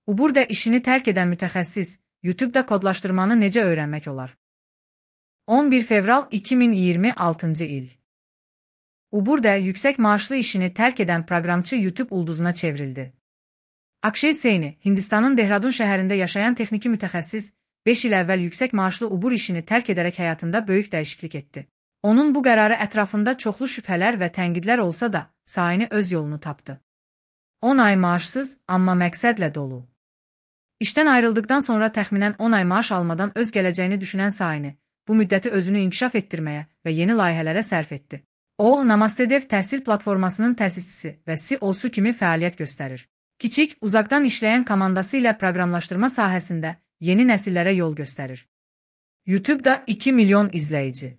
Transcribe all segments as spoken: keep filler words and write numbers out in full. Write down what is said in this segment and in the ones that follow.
Uber'də işini tərk edən mütəxəssis, YouTube-da kodlaşdırmanı necə öyrənmək olar? on bir fevral iki min iyirmi altıncı il. Uber'də yüksək maaşlı işini tərk edən proqramçı YouTube ulduzuna çevrildi. Akshay Seyni, Hindistanın Dehradun şəhərində yaşayan texniki mütəxəssis, beş il əvvəl yüksək maaşlı Uber işini tərk edərək həyatında böyük dəyişiklik etdi. Onun bu qərarı ətrafında çoxlu şübhələr və tənqidlər olsa da, Seyni öz yolunu tapdı. on ay maaşsız, amma məqsədlə dolu. İşdən ayrıldıqdan sonra təxminən on ay maaş almadan öz gələcəyini düşünən Seyni, bu müddəti özünü inkişaf etdirməyə və yeni layihələrə sərf etdi. O, Namaste Dev təhsil platformasının təsisçisi və C E O-su kimi fəaliyyət göstərir. Kiçik, uzaqdan işləyən komandası ilə proqramlaşdırma sahəsində yeni nəsillərə yol göstərir. YouTube-da iki milyon izləyici.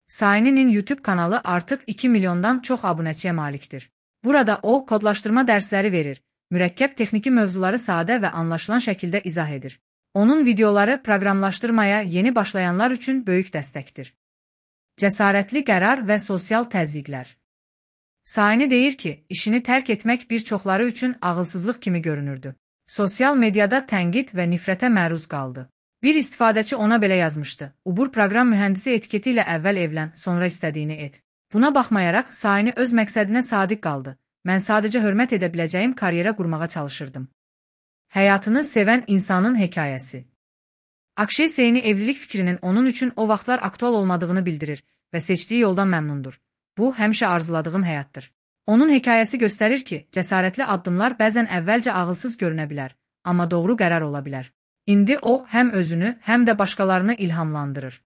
Seyni'nin YouTube kanalı artıq iki milyondan çox abunəçiyə malikdir. Burada o, kodlaşdırma dərsləri verir, mürəkkəb texniki mövzuları sadə və anlaşılan şəkildə izah edir. Onun videoları proqramlaşdırmaya yeni başlayanlar üçün böyük dəstəkdir. Cəsarətli qərar və sosial təzyiqlər. Seyni deyir ki, işini tərk etmək bir çoxları üçün ağılsızlıq kimi görünürdü. Sosial mediada tənqid və nifrətə məruz qaldı. Bir istifadəçi ona belə yazmışdı: Uber proqram mühəndisi etiketi ilə əvvəl evlən, sonra istədiyini et. Buna baxmayaraq, Seyni öz məqsədinə sadiq qaldı. Mən sadəcə hörmət edə biləcəyim karyera qurmağa çalışırdım. Həyatını sevən insanın hekayəsi. Akshay Seyni evlilik fikrinin onun üçün o vaxtlar aktual olmadığını bildirir və seçdiyi yoldan məmnundur. Bu, həmişə arzuladığım həyatdır. Onun hekayəsi göstərir ki, cəsarətli addımlar bəzən əvvəlcə ağılsız görünə bilər, amma doğru qərar ola bilər. İndi o, həm özünü, həm də başqalarını ilhamlandırır.